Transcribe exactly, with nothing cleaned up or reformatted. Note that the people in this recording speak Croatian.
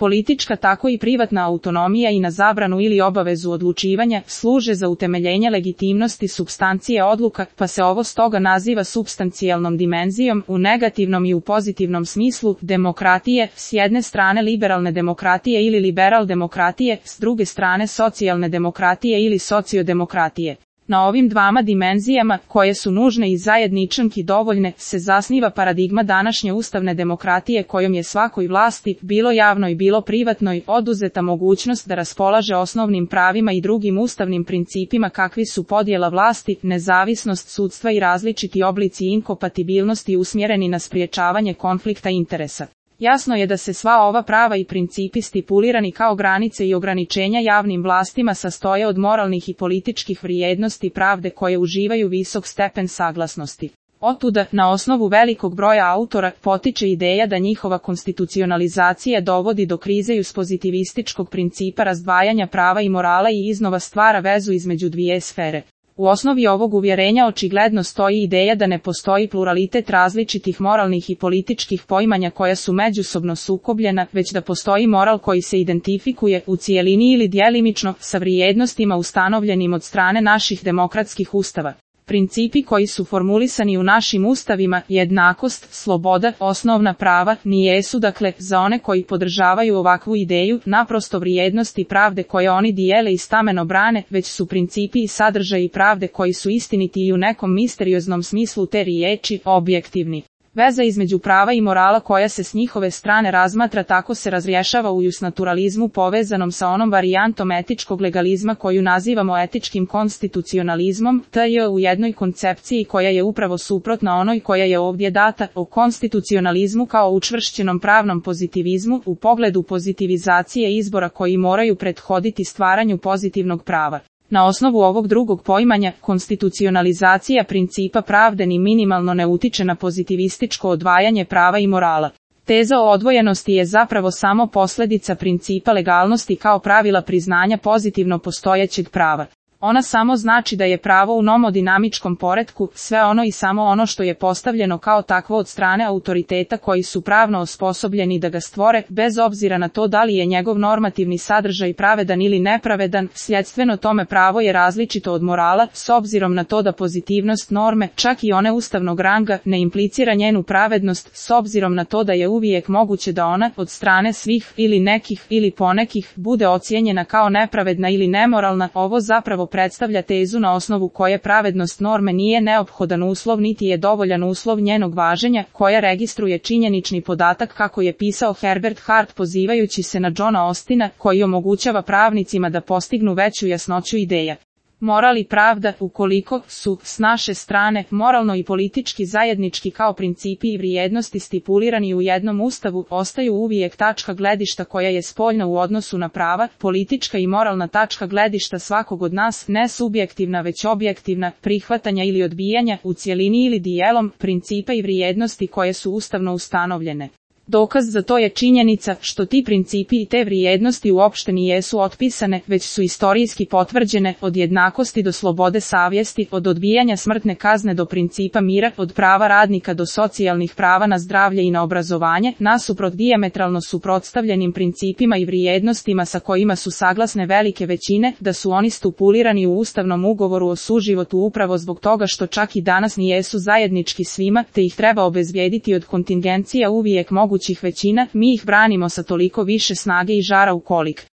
politička tako i privatna autonomija i na zabranu ili obavezu odlučivanja, služe za utemeljenje legitimnosti supstancije odluka, pa se ovo stoga naziva supstancijalnom dimenzijom, u negativnom i u pozitivnom smislu, demokratije, s jedne strane liberalne demokratije ili liberal demokratije, s druge strane socijalne demokratije ili sociodemokratije. Na ovim dvama dimenzijama, koje su nužne i zajedničanki dovoljne, se zasniva paradigma današnje ustavne demokratije kojom je svakoj vlasti, bilo javnoj bilo privatnoj, oduzeta mogućnost da raspolaže osnovnim pravima i drugim ustavnim principima kakvi su podjela vlasti, nezavisnost sudstva i različiti oblici inkompatibilnosti usmjereni na spriječavanje konflikta interesa. Jasno je da se sva ova prava i principi stipulirani kao granice i ograničenja javnim vlastima sastoje od moralnih i političkih vrijednosti pravde koje uživaju visok stepen saglasnosti. Otuda, na osnovu velikog broja autora, potiče ideja da njihova konstitucionalizacija dovodi do krize uz pozitivističkog principa razdvajanja prava i morala i iznova stvara vezu između dvije sfere. U osnovi ovog uvjerenja očigledno stoji ideja da ne postoji pluralitet različitih moralnih i političkih poimanja koja su međusobno sukobljena, već da postoji moral koji se identifikuje u cijelini ili djelimično sa vrijednostima ustanovljenim od strane naših demokratskih ustava. Principi koji su formulisani u našim ustavima, jednakost, sloboda, osnovna prava, nijesu dakle, za one koji podržavaju ovakvu ideju, naprosto vrijednosti pravde koje oni dijele i stameno brane, već su principi i sadržaji pravde koji su istiniti i u nekom misterioznom smislu te riječi, objektivni. Veza između prava i morala koja se s njihove strane razmatra tako se razrješava u justnaturalizmu povezanom sa onom varijantom etičkog legalizma koju nazivamo etičkim konstitucionalizmom, tj. u jednoj koncepciji koja je upravo suprotna onoj koja je ovdje data, o konstitucionalizmu kao učvršćenom pravnom pozitivizmu u pogledu pozitivizacije izbora koji moraju prethoditi stvaranju pozitivnog prava. Na osnovu ovog drugog poimanja, konstitucionalizacija principa pravde ni minimalno ne utiče na pozitivističko odvajanje prava i morala. Teza o odvojenosti je zapravo samo posljedica principa legalnosti kao pravila priznanja pozitivno postojećeg prava. Ona samo znači da je pravo u nomodinamičkom poretku, sve ono i samo ono što je postavljeno kao takvo od strane autoriteta koji su pravno osposobljeni da ga stvore, bez obzira na to da li je njegov normativni sadržaj pravedan ili nepravedan, sljedstveno tome pravo je različito od morala, s obzirom na to da pozitivnost norme, čak i one ustavnog ranga, ne implicira njenu pravednost, s obzirom na to da je uvijek moguće da ona, od strane svih, ili nekih, ili ponekih, bude ocijenjena kao nepravedna ili nemoralna. Ovo zapravo predstavlja tezu na osnovu koje pravednost norme nije neophodan uslov niti je dovoljan uslov njenog važenja, koja registruje činjenični podatak kako je pisao Herbert Hart pozivajući se na Johna Austina, koji omogućava pravnicima da postignu veću jasnoću ideja. Moral i pravda, ukoliko su, s naše strane, moralno i politički zajednički kao principi i vrijednosti stipulirani u jednom ustavu, ostaju uvijek tačka gledišta koja je spoljna u odnosu na prava, politička i moralna tačka gledišta svakog od nas, ne subjektivna već objektivna, prihvatanja ili odbijanja, u cjelini ili dijelom, principa i vrijednosti koje su ustavno ustanovljene. Dokaz za to je činjenica što ti principi i te vrijednosti uopšte nijesu otpisane, već su istorijski potvrđene, od jednakosti do slobode savjesti, od odbijanja smrtne kazne do principa mira, od prava radnika do socijalnih prava na zdravlje i na obrazovanje, nasuprot dijametralno suprotstavljenim principima i vrijednostima sa kojima su saglasne velike većine, da su oni stipulirani u ustavnom ugovoru o suživotu upravo zbog toga što čak i danas nijesu zajednički svima, te ih treba obezbijediti od kontingencija uvijek mogućih većina, mi ih branimo sa toliko više snage i žara ukolik